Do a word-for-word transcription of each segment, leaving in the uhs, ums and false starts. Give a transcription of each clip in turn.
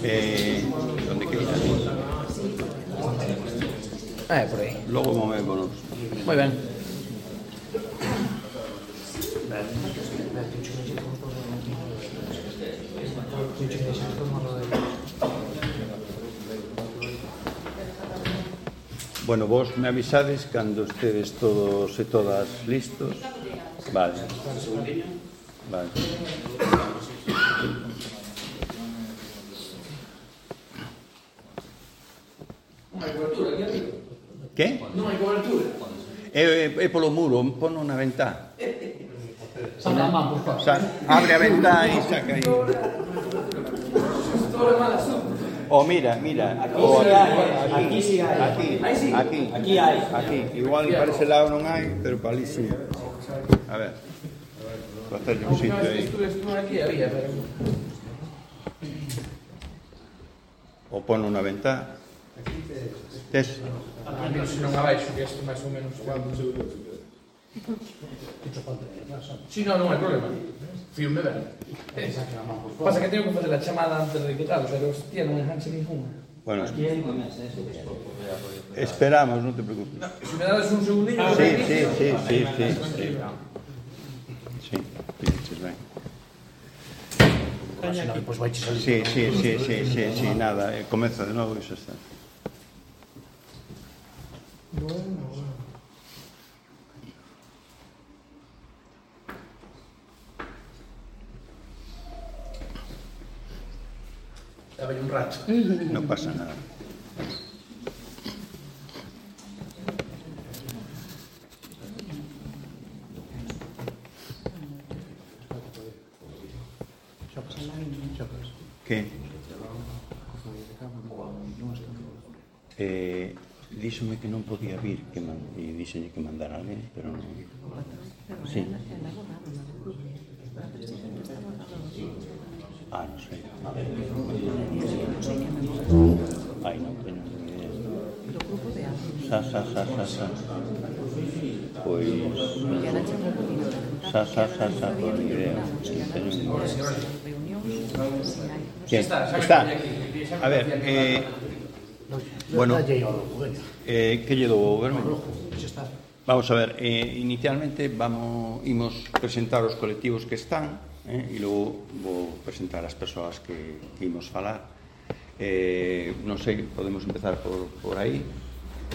Eh, donde queiras. Ah, é por aí. Logo movémonos. Moi ben. Bueno, vos me avisades cando estedes todos e todas listos. Vale. Vale. Non hai cobertura aquí arriba. Que? Non hai cobertura. É, é polo muro, pono na ventá. Saca a man, por favor. Sa abre a ventá e saca aí. Oh, mira, mira. Oh, Aquí sí hai. Aquí, aquí, Aquí hai. aquí. Igual para ese lado non hai, pero para ali sí. A ver. Vou hacerlle un sitio aí. Aquí había, pero... O pono na ventá. Tes? A mí se non abaixo, que este máis ou menos... Si, non, non hai problema. Fío-me ben. Pasa que teño que facer a chamada antes de que tal, pero hostia, non enganche ninguna. Bueno, Aquí hai unha mesa, eso. esperamos, non te preocupes. Se me dades un segundinho... Sí, sí, sí, sí, sí. Sí, sí, dices ben. Pois vai salir. Sí, sí, sí, sí, sí, sí, nada, eh, comeza de novo e xa está. Daba un rato. Non pasa nada. Que? Eh, díxome que non podía vir, que man, e díxenlle que mandar a alguén, pero non. Sí. Ah, non sei. Ai, non teño ni idea. Sa, sa, sa, sa, sa. Pois... Sa, sa, sa, sa, pois ni idea. Teño ni idea. ¿Qué? Está. A ver, eh... bueno, eh, que lle dou o goberno? Vamos a ver, eh, inicialmente vamos imos presentar os colectivos que están, eh, e logo vou presentar as persoas que, que imos falar. Eh, non sei, podemos empezar por, por aí.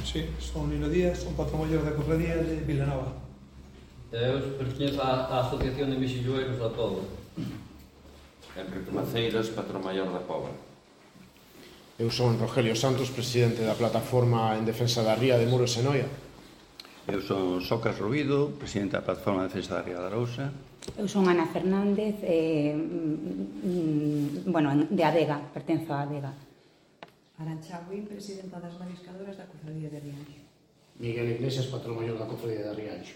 Sí, son Nino Díaz, son patrón maior da cofradía de Vilanova. Eu pertenzo á Asociación de Mexilloeiros da Todo. Enrique Maceiras, patrón maior da Pobra. Eu son Rogelio Santos, presidente da plataforma en defensa da ría de Muros e Noia. Eu son Socas Rubido, presidente da plataforma de defensa da ría da Arousa. Eu son Ana Fernández, eh, mm, bueno, de Adega, pertenzo a Adega. Arantxa Buín, presidenta das mariscadoras da cofradía de Rianxo. Miguel Iglesias, patrón maior da cofradía de Rianxo.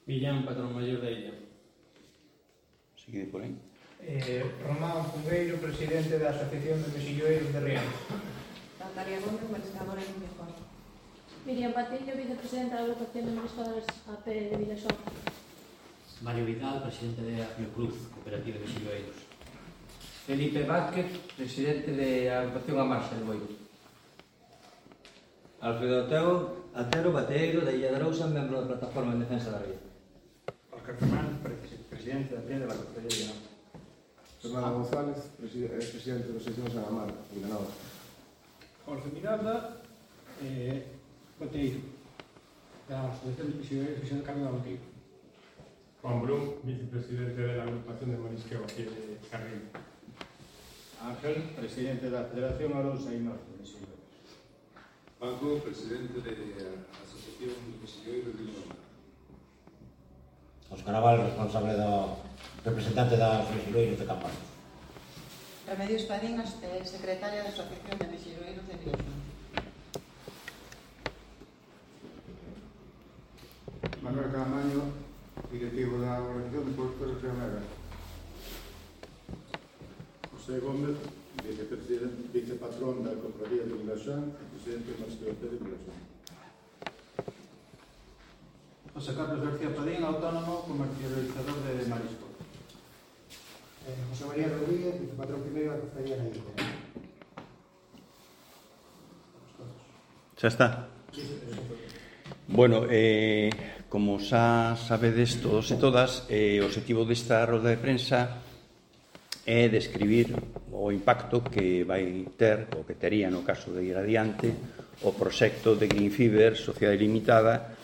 Millán, patrón maior da Illa. Sigue por aí. Eh, Román Fungueiro, presidente da Asociación de Mexilloeiros de Rianxo. Natalia Gómez, mariscadora en Viejón. Miriam Patiño, vicepresidenta da agrupación de mariscadoras A P de Vilaxón. Mario Vidal, presidente de Arrio Cruz, cooperativa de Mexilloeiros. Felipe Vázquez, presidente da agrupación A Marxa de Boiro. Alfredo Otero, Atero Bateeiro, da Illa de Arousa, membro da plataforma en defensa da ría. Óscar Fernández, presidente da Prienda da Cofradía de Vilanova. Fernando González, presidente da Asociación San Amar, Vilanova. Jorge Miranda, eh, Bateeiro, da Asociación de Mexilloeiros de Xan Carlos da Bateeiro. Juan Brum, vicepresidente de la agrupación de marisqueo aquí de Carril. Ángel, presidente da Federación Arousa e Norte de Mexilloeiros. Paco, presidente da Asociación de Mexilloeiros de Vilanova. Óscar Naval, responsable do representante das Mexilloeiros de Campaños. Remedios Padinas, eh, secretaria da Asociación de Mexilloeiros de Vilaxón. Manuel Camaño, directivo da Organización de Puertos de Rionega. José Gómez, vicepatrón da Cofradía de Vilaxón e presidente do Marisqueo de Vilaxón. José Carlos García Padín, autónomo, comercializador de marisco. Eh, José María Rodríguez, vicepatrón primeiro da Cofradía Gallega. Xa está. Bueno, eh, como xa sabedes todos e todas, eh, o objetivo desta roda de prensa é describir o impacto que vai ter, ou que tería no caso de ir adiante, o proxecto de Green Fiber, Sociedade Limitada,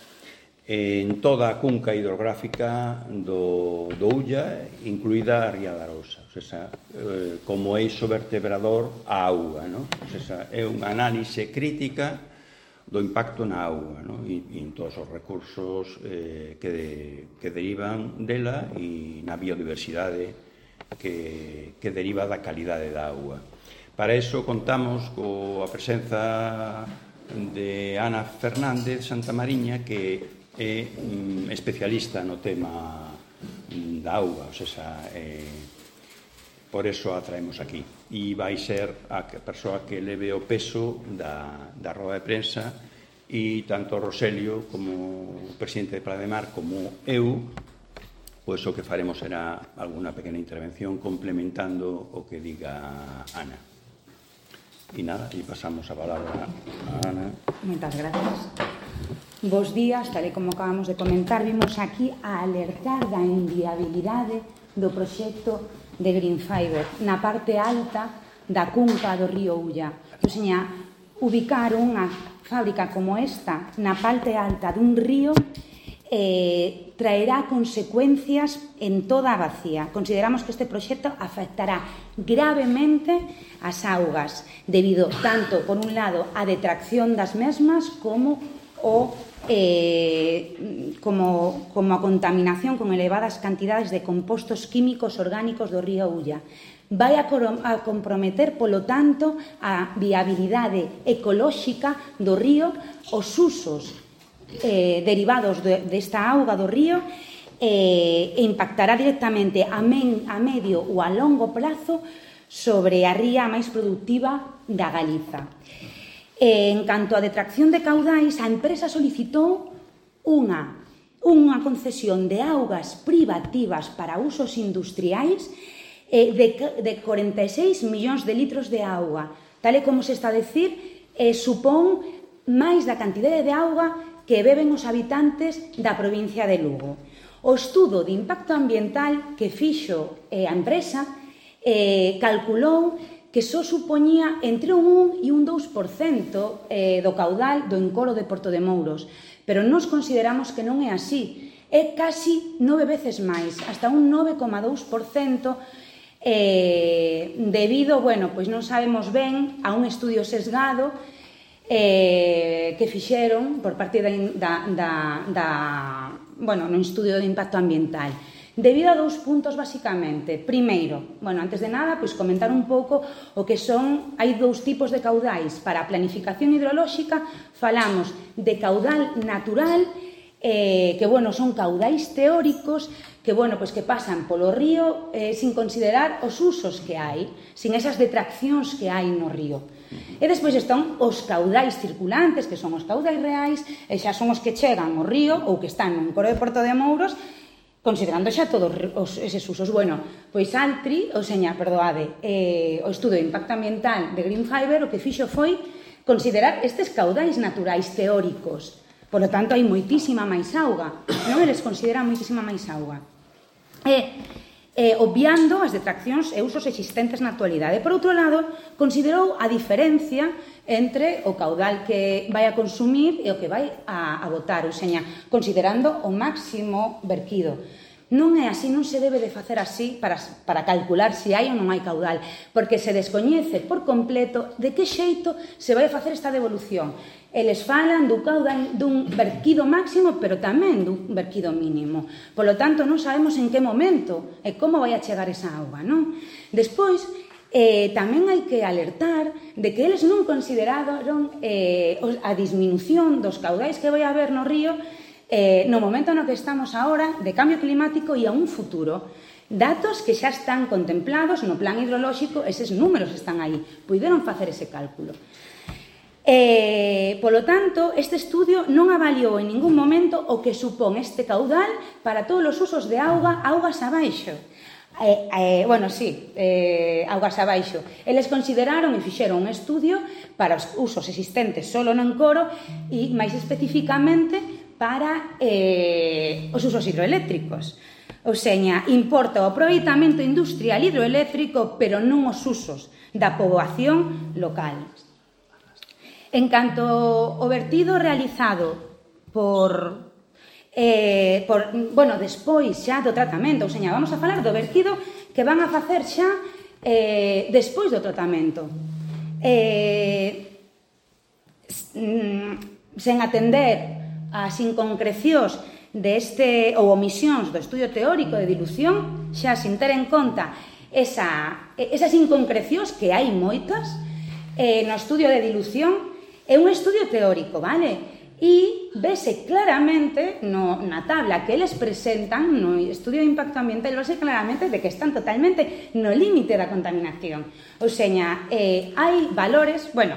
en toda a cunca hidrográfica do, do Ulla, incluída a Ría da Arousa. O sea, eh, como eixo vertebrador a auga, ¿no? O sea, é unha análise crítica do impacto na auga, ¿no? E, e en todos os recursos eh, que, de, que derivan dela e na biodiversidade que, que deriva da calidade da auga. Para iso contamos coa presenza de Ana Fernández Santamariña, que é mm, especialista no tema mm, da auga, o sea, eh, por eso a traemos aquí. E vai ser a persoa que leve o peso da, da roda de prensa, e tanto Roselio como o presidente de Playa de Mar como eu, pois o que faremos será alguna pequena intervención complementando o que diga Ana. E nada, e pasamos a palabra a Ana. Moitas gracias. Bos días, tal e como acabamos de comentar, vimos aquí a alertar da inviabilidade do proxecto de Green Fiber na parte alta da cunca do río Ulla. O seña, ubicar unha fábrica como esta na parte alta dun río eh, traerá consecuencias en toda a bacía. Consideramos que este proxecto afectará gravemente as augas, debido tanto, por un lado, a detracción das mesmas como o eh, como, como a contaminación con elevadas cantidades de compostos químicos orgánicos do río Ulla. Vai a, a comprometer, polo tanto, a viabilidade ecolóxica do río, os usos eh, derivados de, desta auga do río, eh, e impactará directamente a, men, a medio ou a longo plazo sobre a ría máis productiva da Galiza. Eh, en canto a detracción de caudais, a empresa solicitou unha, unha concesión de augas privativas para usos industriais eh, de, de corenta e seis millóns de litros de auga. Tal e como se está a decir, eh, supón máis da cantidade de auga que beben os habitantes da provincia de Lugo. O estudo de impacto ambiental que fixo eh, a empresa eh, calculou que só supoñía entre un un e un dous por cento eh, do caudal do encoro de Porto de Mouros, pero nós consideramos que non é así. É casi nove veces máis, hasta un nove coma dous por cento, eh, debido, bueno, pois non sabemos ben, a un estudio sesgado eh, que fixeron por parte da, da, da, da bueno, no estudio de impacto ambiental. Debido a dous puntos, basicamente. Primeiro, bueno, antes de nada, pois comentar un pouco o que son, hai dous tipos de caudais. Para a planificación hidrolóxica falamos de caudal natural, eh, que, bueno, son caudais teóricos que, bueno, pois que pasan polo río eh, sin considerar os usos que hai, sin esas detraccións que hai no río. E despois están os caudais circulantes, que son os caudais reais, e xa son os que chegan ao río ou que están no encoro de Porto de Mouros, considerando xa todos os, eses usos. Bueno, pois Altri, ou seña, perdoade, eh, o estudo de impacto ambiental de Green Fiber o que fixo foi considerar estes caudais naturais teóricos. Por lo tanto, hai moitísima máis auga, non? Eles consideran moitísima máis auga. E, eh, obviando as detraccións e usos existentes na actualidade. Por outro lado, considerou a diferencia entre o caudal que vai a consumir e o que vai a, a botar, ou seña, considerando o máximo verquido. Non é así, non se debe de facer así para, para calcular se hai ou non hai caudal, porque se descoñece por completo de que xeito se vai a facer esta devolución. Eles falan do caudal dun verquido máximo, pero tamén dun verquido mínimo. Por lo tanto, non sabemos en que momento e como vai a chegar esa auga, non? Despois, Eh, tamén hai que alertar de que eles non consideraron eh, a disminución dos caudais que vai haber no río eh, no momento no que estamos agora de cambio climático e a un futuro. Datos que xa están contemplados no plan hidrolóxico, eses números están aí, puideron facer ese cálculo. Eh, polo tanto, este estudio non avaliou en ningún momento o que supón este caudal para todos os usos de auga, augas abaixo. Eh, eh, bueno, sí, eh, augas abaixo. Eles consideraron e fixeron un estudio para os usos existentes solo no encoro e máis especificamente para eh, os usos hidroeléctricos. Ou seña, importa o aproveitamento industrial hidroeléctrico, pero non os usos da poboación local. En canto ao vertido realizado por... Eh, por, bueno, despois xa do tratamento, ou seña, vamos a falar do vertido que van a facer xa eh, despois do tratamento. Eh, sen atender as inconcrecións deste, ou omisións do estudio teórico de dilución, xa sin ter en conta esa, esas inconcrecións que hai moitas eh, no estudio de dilución, é un estudio teórico, vale? E vese claramente no, na tabla que eles presentan no estudio de impacto ambiental, vese claramente de que están totalmente no límite da contaminación. Ou seña, eh, hai valores, bueno,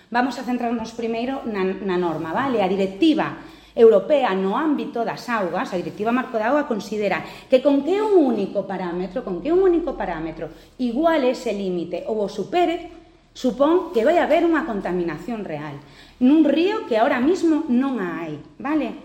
vamos a centrarnos primeiro na, na norma, vale? A directiva europea no ámbito das augas, a directiva marco de auga considera que con que un único parámetro, con que un único parámetro iguale ese límite ou o supere, supón que vai haber unha contaminación real nun río que ahora mismo non a hai, vale?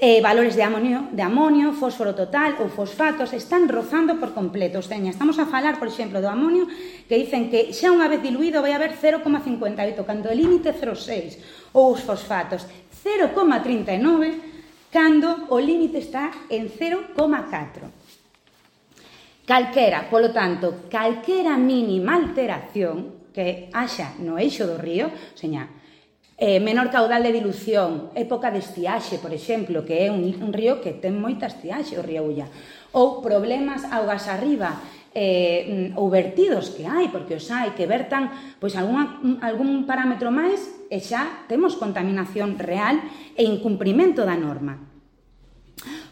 Eh, valores de amonio, de amonio, fósforo total ou fosfatos están rozando por completo. Seña, estamos a falar, por exemplo, do amonio, que dicen que xa unha vez diluído vai haber cero coma cincuenta e oito, cando o límite cero coma seis, ou os fosfatos cero coma trinta e nove, cando o límite está en cero coma catro. Calquera, polo tanto, calquera mínima alteración que haxa no eixo do río, seña, Eh, menor caudal de dilución, época de estiaxe, por exemplo, que é un, un río que ten moita estiaxe, o río Ulla, ou problemas augas arriba, eh, ou vertidos que hai, porque os hai, que vertan pois, alguna, algún parámetro máis e xa temos contaminación real e incumprimento da norma.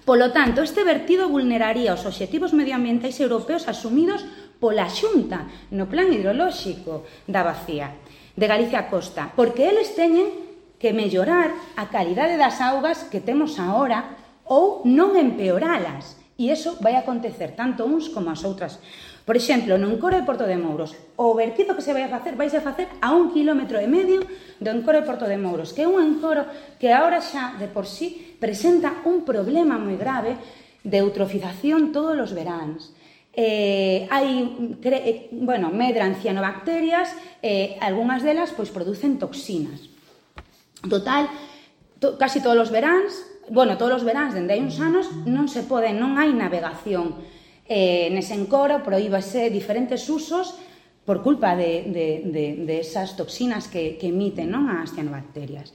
Polo tanto, este vertido vulneraría os obxectivos medioambientais europeos asumidos pola Xunta no plan hidrolóxico da Bacía de Galicia Costa, porque eles teñen que mellorar a calidade das augas que temos agora ou non empeoralas. E iso vai acontecer tanto uns como as outras. Por exemplo, no encoro de Porto de Mouros, o vertido que se vai a facer, vai a facer a un kilómetro e medio do encoro de Porto de Mouros, que é un encoro que agora xa de por sí presenta un problema moi grave de eutrofización todos os veráns. Eh, hai, cre, bueno, medran cianobacterias, eh, algunhas delas pois producen toxinas. Total, to, casi todos os veráns, bueno, todos os veráns dende hai uns anos non se pode, non hai navegación eh, nese encoro, prohíbase diferentes usos por culpa de, de, de, de esas toxinas que, que emiten, non, as cianobacterias.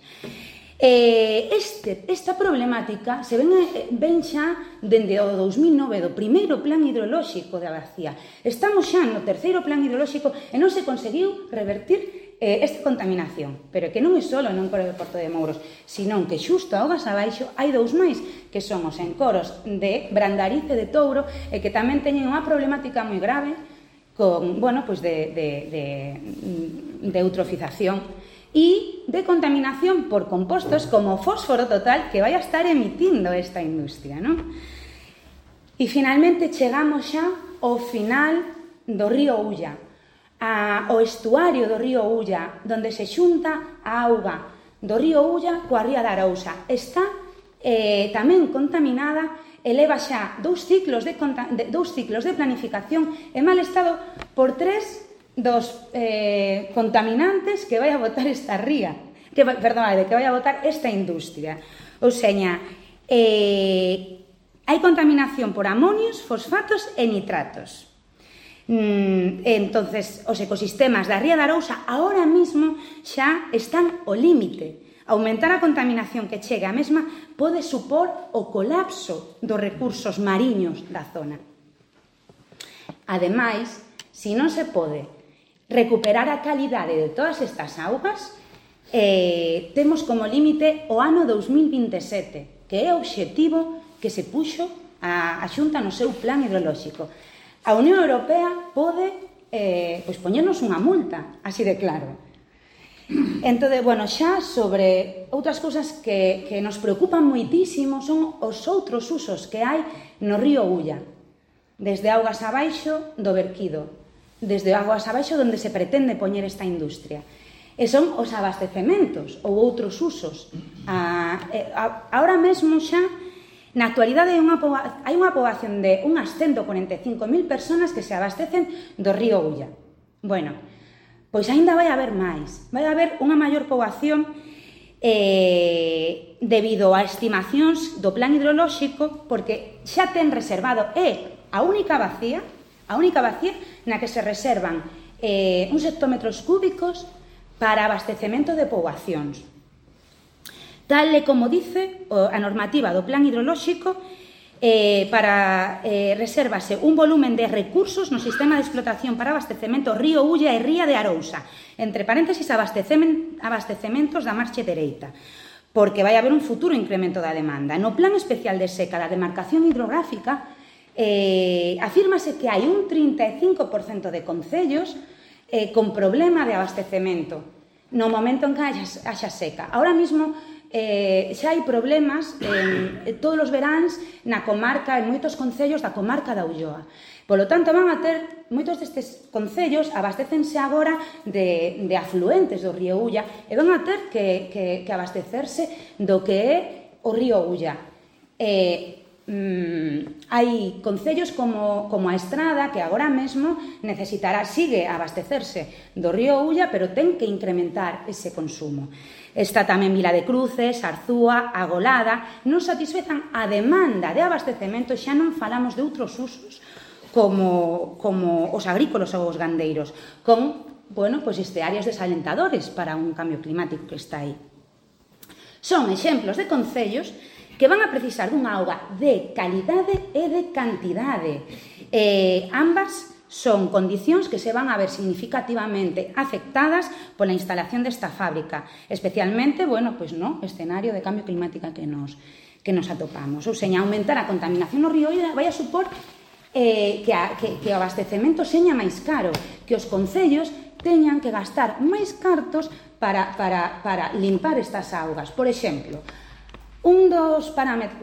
Eh, este, esta problemática se ven, ven xa dende o dos mil nove, do primeiro plan hidrolóxico da Bacía. Estamos xa no terceiro plan hidrolóxico e non se conseguiu revertir eh, esta contaminación. Pero que non é só no encoro de Porto de Mouros, senón que xusto a augas abaixo hai dous máis, que son os encoros de Brandariz e de Touro, e que tamén teñen unha problemática moi grave con, bueno, pues de, de, de, de eutrofización e de contaminación por compostos como fósforo total que vai a estar emitindo esta industria, non? E finalmente chegamos xa ao final do río Ulla, ao estuario do río Ulla, onde se xunta a auga do río Ulla coa ría da Arousa. Está eh, tamén contaminada e leva xa dous ciclos de, de, dous ciclos de planificación en mal estado por tres dos eh, contaminantes que vai a botar esta ría, que, perdón, que vai a botar esta industria. Ou seña, eh, hai contaminación por amonios, fosfatos e nitratos. Mm, entonces, os ecosistemas da ría da Arousa ahora mismo xa están ao límite. Aumentar a contaminación que chega a mesma pode supor o colapso dos recursos mariños da zona. Ademais, se non se pode recuperar a calidade de todas estas augas, eh, temos como límite o ano dos mil vinte e sete, que é o obxectivo que se puxo a, a Xunta no seu plan hidrolóxico. A Unión Europea pode eh, pois poñernos unha multa, así de claro. Entón, bueno, xa sobre outras cousas que, que nos preocupan moitísimo son os outros usos que hai no río Ulla. desde augas abaixo do verquido, desde augas abaixo onde se pretende poñer esta industria. E son os abastecementos ou outros usos. A, a, ahora mesmo xa, na actualidade, hai unha, hai unha poboación de unhas ciento cuarenta e cinco mil personas que se abastecen do río Ulla. Bueno, pois aínda vai haber máis. Vai haber unha maior poboación eh, debido a estimacións do plan hidrolóxico, porque xa ten reservado, é a única vacía, a única vacía na que se reservan eh, uns hectómetros cúbicos para abastecemento de poboacións. Tal e como dice a normativa do plan hidrolóxico, eh, para eh, resérvase un volumen de recursos no sistema de explotación para abastecemento río Ulla e ría de Arousa, entre paréntesis abastecementos da marxe dereita, porque vai haber un futuro incremento da demanda. No plan especial de seca da demarcación hidrográfica, eh, afírmase que hai un trinta e cinco por cento de concellos eh, con problema de abastecemento no momento en que haxa seca. Ahora mismo eh, xa hai problemas en todos os veráns na comarca, en moitos concellos da comarca da Ulloa. Polo tanto, van a ter, moitos destes concellos abastécense agora de, de afluentes do río Ulla e van a ter que, que, que abastecerse do que é o río Ulla. Eh, Mm, hai concellos como, como a Estrada que agora mesmo necesitará, sigue a abastecerse do río Ulla, pero ten que incrementar ese consumo. Está tamén Vila de Cruces, Arzúa, Agolada, non satisfezan a demanda de abastecemento, xa non falamos de outros usos como, como os agrícolas ou os gandeiros, con, bueno, pues estearios desalentadores para un cambio climático que está aí. Son exemplos de concellos que van a precisar dunha auga de calidade e de cantidade. Eh, ambas son condicións que se van a ver significativamente afectadas pola instalación desta fábrica, especialmente, bueno, pois no escenario de cambio climático que nos, que nos atopamos. Ou seña, aumentar a contaminación no río vai a supor eh, que, a, que, que o abastecemento seña máis caro, que os concellos teñan que gastar máis cartos para, para, para limpar estas augas. Por exemplo, Un dos,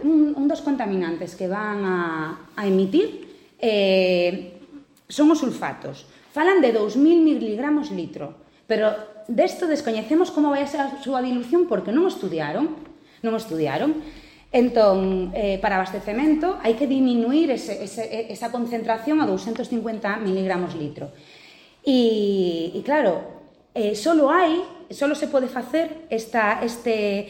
un, un dos contaminantes que van a, a emitir eh, son os sulfatos. Falan de dous mil miligramos litro, pero desto descoñecemos como vai a ser a súa dilución porque non o estudiaron. Non o estudiaron. Entón, eh, para abastecemento hai que diminuir ese, ese, esa concentración a doscientos cincuenta miligramos litro. E, e claro, eh, solo hai, solo se pode facer esta, este...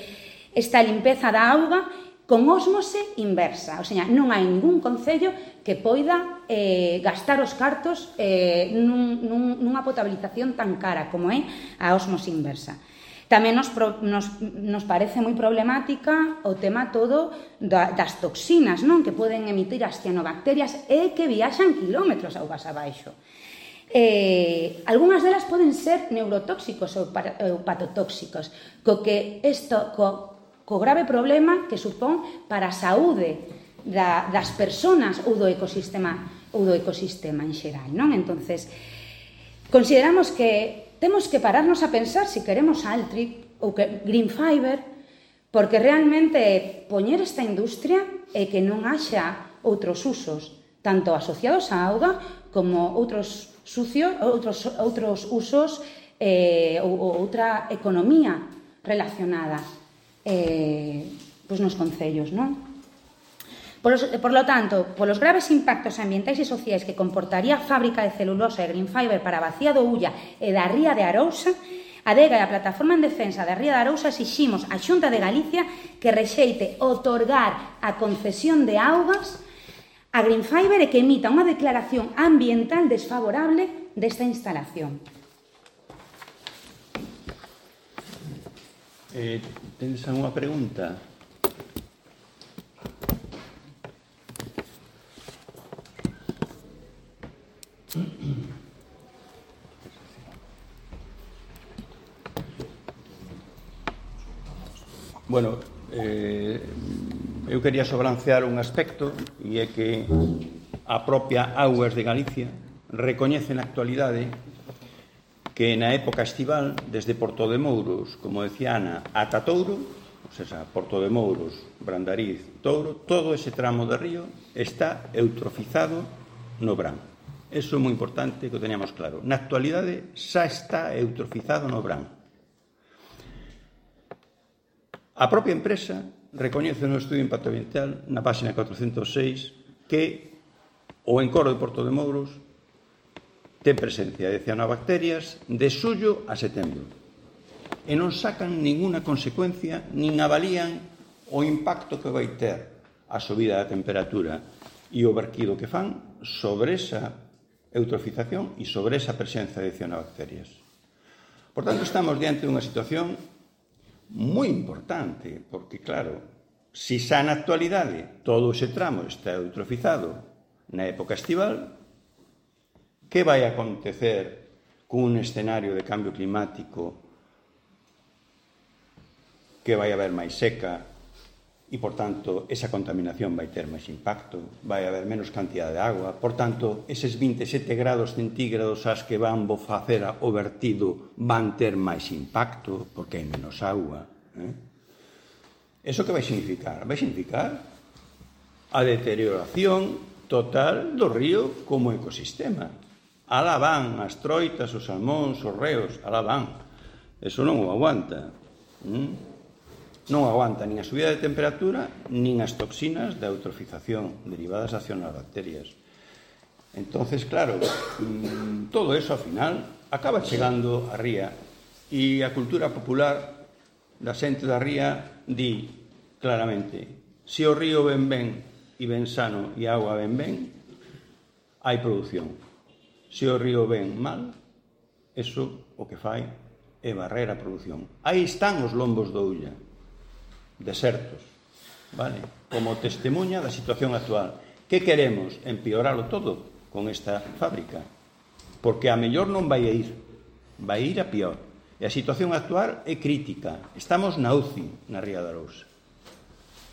esta limpeza da auga con ósmose inversa. O sea, non hai ningún concello que poida eh, gastar os cartos eh, nun, nun, nunha potabilización tan cara como é a ósmose inversa. Tamén nos, nos, nos parece moi problemática o tema todo da, das toxinas, non? Que poden emitir as cianobacterias e que viaxan kilómetros augas abaixo. Eh, algunhas delas poden ser neurotóxicos ou hepatotóxicos, co que isto, co, co grave problema que supón para a saúde da, das persoas ou do ecosistema ou do ecosistema en xeral, non? Entonces, consideramos que temos que pararnos a pensar se queremos Altri ou que Green Fiber, porque realmente poñer esta industria é que non haxa outros usos, tanto asociados á auga como outros sucios, outros, outros usos eh, ou, ou outra economía relacionada Eh, pois nos concellos, non? Por, los, por lo tanto, polos graves impactos ambientais e sociais que comportaría a fábrica de celulosa e Green Fiber para a vacía do Ulla e da ría de Arousa, a DEGA e a Plataforma en Defensa da ría de Arousa exiximos á Xunta de Galicia que rexeite otorgar a concesión de augas a Green Fiber e que emita unha declaración ambiental desfavorable desta instalación. Eh, ¿Tienes alguna pregunta? Bueno, eh, eu quería sobrancear un aspecto e é que a propia Augas de Galicia recoñece na actualidade que na época estival, desde Porto de Mouros, como decía Ana, ata Touro, o sea, Porto de Mouros, Brandariz, Touro, todo ese tramo de río está eutrofizado no Bran. Eso é moi importante que o teníamos claro. Na actualidade xa está eutrofizado no Bran. A propia empresa recoñece no estudio de impacto ambiental na página cuatrocentos seis que o encoro de Porto de Mouros ten presencia de cianobacterias de xullo a setembro e non sacan ninguna consecuencia nin avalían o impacto que vai ter a subida da temperatura e o verquido que fan sobre esa eutrofización e sobre esa presencia de cianobacterias. Por tanto, estamos diante dunha situación moi importante, porque, claro, se xa na actualidade todo ese tramo está eutrofizado na época estival, que vai acontecer cun escenario de cambio climático que vai haber máis seca e, por tanto, esa contaminación vai ter máis impacto, vai haber menos cantidad de agua, por tanto, eses vinte e sete grados centígrados ás que van facer o vertido van ter máis impacto porque hai menos agua. Eh? Eso que vai significar? Vai significar a deterioración total do río como ecosistema. Alá van as troitas, os salmóns, os reos, alá van. Eso non o aguanta. Mm? Non aguanta nin a subida de temperatura nin as toxinas da eutrofización derivadas das cianobacterias. Entonces, claro, todo eso, ao final, acaba chegando á ría e a cultura popular da xente da ría di claramente: se o río ven ben e ben sano e a auga ven ben, hai produción. Se o río ven mal, eso o que fai é barrer a produción. Aí están os lombos do Ulla, desertos, vale? Como testemunha da situación actual. Que queremos? Empeoralo todo con esta fábrica, porque a mellor non vai a ir, vai ir a pior. E a situación actual é crítica. Estamos na U C I, na Ría de Arousa.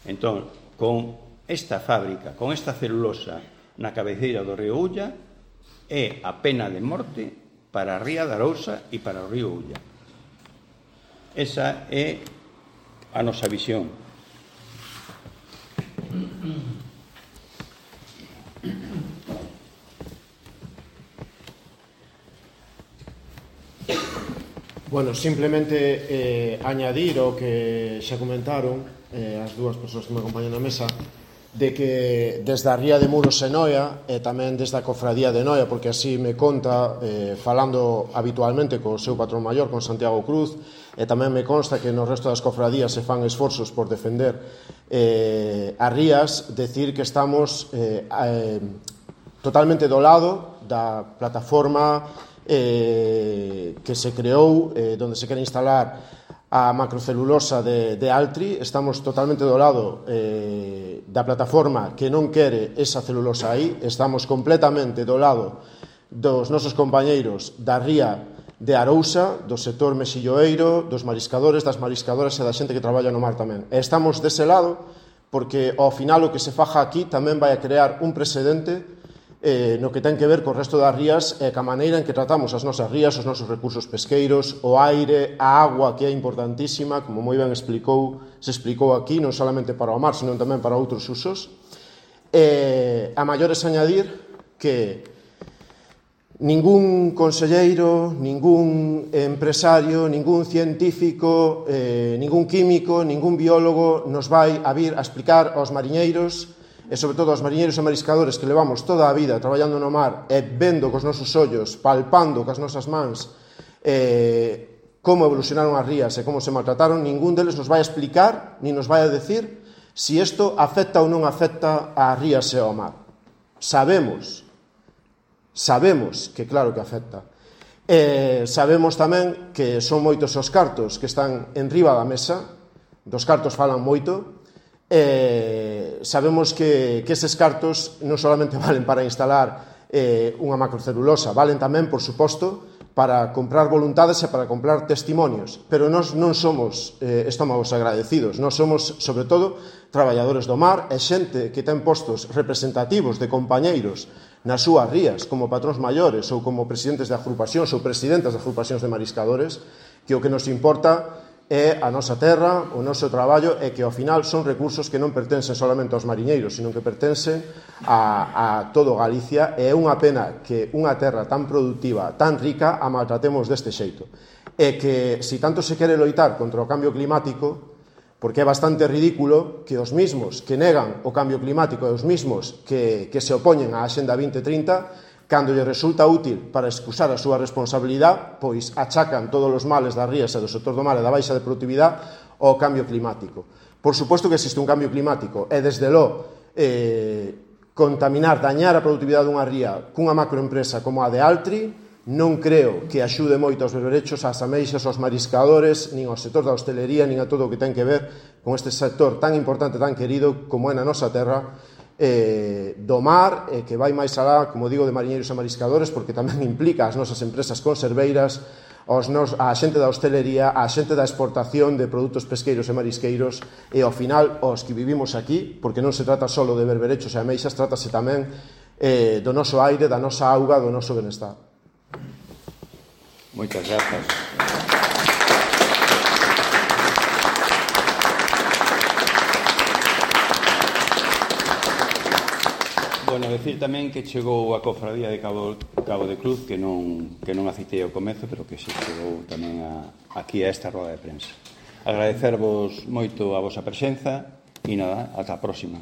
Entón, con esta fábrica, con esta celulosa na cabeceira do río Ulla, é a pena de morte para a Ría de Arousa e para o río Ulla. Esa é a nosa visión. Bueno, simplemente eh, añadir o que xa comentaron eh, as dúas persoas que me acompañan na mesa, de que desde a Ría de Muros e Noia e tamén desde a Cofradía de Noia, porque así me conta, eh, falando habitualmente co seu patrón maior, con Santiago Cruz, e tamén me consta que no resto das cofradías se fan esforzos por defender eh, as rías, decir que estamos eh, eh, totalmente do lado da plataforma eh, que se creou, eh, donde se quere instalar a macrocelulosa de, de Altri. Estamos totalmente do lado eh, da plataforma que non quere esa celulosa aí. Estamos completamente do lado dos nosos compañeiros da Ría de Arousa, do sector mexilloeiro, dos mariscadores, das mariscadoras e da xente que traballa no mar tamén. E estamos dese lado porque ao final o que se faja aquí tamén vai a crear un precedente eh, no que ten que ver co resto das rías e ca maneira en que tratamos as nosas rías, os nosos recursos pesqueiros, o aire, a agua, que é importantísima, como moi ben explicou, se explicou aquí, non solamente para o mar, senón tamén para outros usos. Eh, a maiores añadir que ningún conselleiro, ningún empresario, ningún científico, eh, ningún químico, ningún biólogo nos vai a vir a explicar aos mariñeiros e sobre todo aos mariñeiros e mariscadores que levamos toda a vida traballando no mar e vendo cos nosos ollos, palpando cas nosas mans eh, como evolucionaron as rías e como se maltrataron. Ningún deles nos vai a explicar ni nos vai a decir si isto afecta ou non afecta ás rías e ao mar. Sabemos sabemos que claro que afecta. Eh, sabemos tamén que son moitos os cartos que están en riba da mesa, dos cartos falan moito. Eh, sabemos que, que eses cartos non solamente valen para instalar eh, unha macrocelulosa, valen tamén, por suposto, para comprar voluntades e para comprar testimonios, pero nós non somos eh, estómagos agradecidos, nós somos, sobre todo, traballadores do mar e xente que ten postos representativos de compañeiros nas súas rías, como patróns maiores ou como presidentes de agrupacións ou presidentas de agrupacións de mariscadores, que o que nos importa é a nosa terra, o noso traballo, e que ao final son recursos que non pertencen solamente aos mariñeiros, sino que pertencen a, a todo Galicia, e é unha pena que unha terra tan productiva, tan rica, a maltratemos deste xeito. E que, se tanto se quere loitar contra o cambio climático, porque é bastante ridículo que os mismos que negan o cambio climático e os mismos que, que se opoñen á Axenda vinte trinta, cando lle resulta útil para excusar a súa responsabilidade, pois achacan todos os males das rías e do sector do mar e da baixa de productividade ao cambio climático. Por suposto que existe un cambio climático e, desde lo, eh, contaminar, dañar a productividade dunha ría cunha macroempresa como a de Altri non creo que axude moito aos berberechos, ás ameixas, aos mariscadores, nin ao sector da hostelería, nin a todo o que ten que ver con este sector tan importante, tan querido como é na nosa terra, eh, do mar, eh, que vai máis alá, como digo, de mariñeiros e mariscadores, porque tamén implica as nosas empresas conserveiras, aos nos, a xente da hostelería, a xente da exportación de produtos pesqueiros e marisqueiros, e ao final os que vivimos aquí, porque non se trata só de berberechos e ameixas, trátase tamén eh, do noso aire, da nosa auga, do noso benestar. Moitas grazas. Bueno, decir tamén que chegou a cofradía de Cabo, Cabo de Cruz, que non, que non aceitei ao comezo, pero que se chegou tamén a, aquí a esta roda de prensa. Agradecervos moito a vosa presenza e nada, ata a próxima.